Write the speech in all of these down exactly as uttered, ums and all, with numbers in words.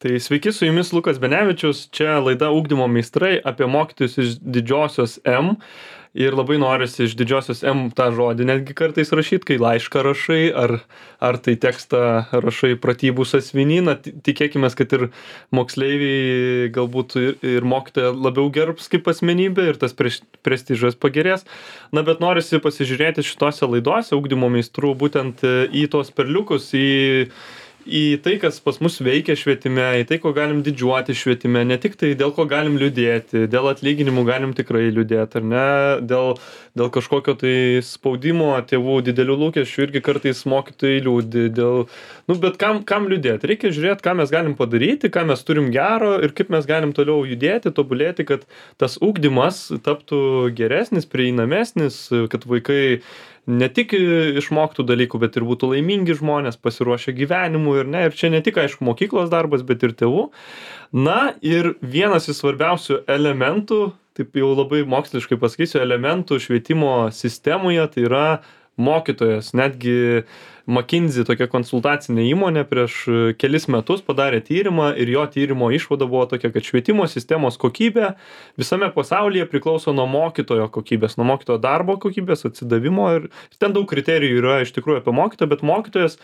Tai sveiki, su jumis Lukas Benevičius, čia laida Ugdymo meistrai apie mokytojus iš didžiosios M. Ir labai norisi iš didžiosios M tą žodį netgi kartais rašyti, kai laišką rašai, ar, ar tai tekstą rašai pratybų sąsiuvinyje. Tikėkime, kad ir moksleiviai galbūt ir, ir mokytoja labiau gerbs kaip asmenybė ir tas prestižas pagerės. Na, bet norisi pasižiūrėti šitose laidose Ugdymo meistrų būtent į tos perliukus, į į tai, kas pas mus veikia švietime, į tai, ko galim didžiuoti švietime, ne tik tai dėl ko galim liūdėti, dėl atlyginimų galim tikrai liūdėti, ar ne, dėl, dėl kažkokio tai spaudimo, tėvų didelių lūkesčių irgi kartais mokytojai liūdi, dėl, nu, bet kam, kam liūdėti, reikia žiūrėti, ką mes galim padaryti, ką mes turim gero ir kaip mes galim toliau judėti, tobulėti, kad tas ugdymas taptų geresnis, prieinamesnis, kad vaikai ne tik išmoktų dalykų, bet ir būtų laimingi žmonės, pasiruošę gyvenimui ir ne, ir čia ne tik, aišku, mokyklos darbas, bet ir tėvų. Na, ir vienas iš svarbiausių elementų, taip jau labai moksliškai pasakysiu, elementų švietimo sistemoje, tai yra mokytojas. Netgi McKinsey, tokia konsultacinė įmonė, prieš kelis metus padarė tyrimą ir jo tyrimo išvada buvo tokia, kad švietimo sistemos kokybė visame pasaulyje priklauso nuo mokytojo kokybės, nuo mokytojo darbo kokybės, atsidavimo ir ten daug kriterijų yra iš tikrųjų apie mokytoją, bet mokytojas,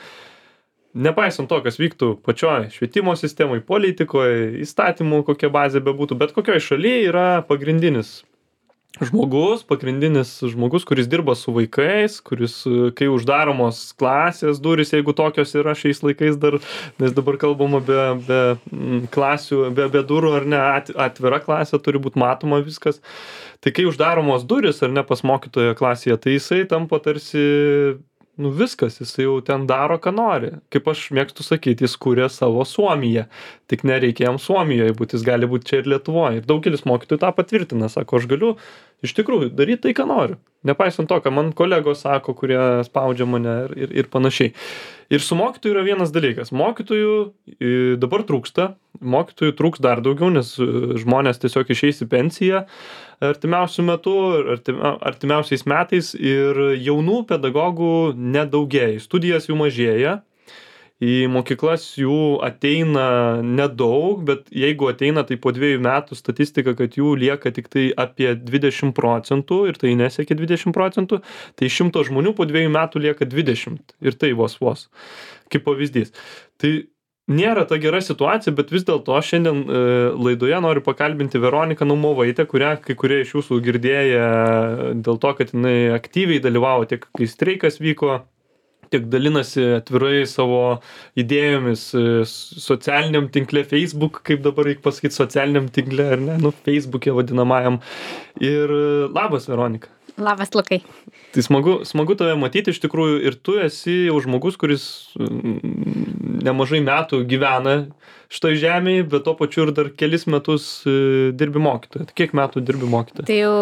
nepaisant to, kas vyktų pačioj švietimo sistemoje, politikoje, įstatymų, kokia bazė bebūtų, bet kokioj šalyje yra pagrindinis žmogus, pagrindinis žmogus, kuris dirba su vaikais, kuris, kai uždaromos klasės durys, jeigu tokios yra šiais laikais dar, nes dabar kalbama be, be klasių, be, be durų ar ne, at, atvira klasė turi būti matoma viskas. Tai kai uždaromos durys ar ne pas mokytojo klasėje, tai jisai tampa tarsi, nu viskas, jisai jau ten daro, ką nori. Kaip aš mėgstu sakyti, jis kūrė savo Suomiją. Tik nereikia jam Suomijoje būti, jis gali būti čia ir Lietuvoje. Ir daugelis mokytojų tą patvirtina, sako, aš galiu iš tikrųjų daryti tai, ką noriu. Nepaisant to, ką man kolegos sako, kurie spaudžia mane ir, ir, ir panašiai. Ir su mokytoju yra vienas dalykas. Mokytojų dabar trūksta, mokytojų trūks dar daugiau, nes žmonės tiesiog išeis į pensiją artimiausių metų, artimiausiais metais ir jaunų pedagogų nedaugėja, studijas jų mažėja. Į mokyklas jų ateina nedaug, bet jeigu ateina, tai po dviejų metų statistika, kad jų lieka tik tai apie dvidešimt procentų ir tai nesiekia dvidešimt procentų, tai šimto žmonių po dviejų metų lieka dvidešimt ir tai vos vos, kaip pavyzdys. Tai nėra ta gera situacija, bet vis dėlto šiandien e, laidoje noriu pakalbinti Veroniką Naumovaitę, kurią kai kurie iš jūsų girdėję dėl to, kad jinai aktyviai dalyvavo tiek, kai streikas vyko, tiek dalinasi atvirai savo idėjomis socialiniam tinkle Facebook, kaip dabar reikia pasakyti, socialiniam tinkle, ar ne, nu, Facebook'e vadinamajam. Ir labas, Veronika. Labas, Lukai. Tai smagu, smagu tave matyti iš tikrųjų ir tu esi jau žmogus, kuris nemažai metų gyvena šitoj žemėje, bet to pačiu ir dar kelis metus dirbi mokytoją. Tai kiek metų dirbi mokytoją? Tai jau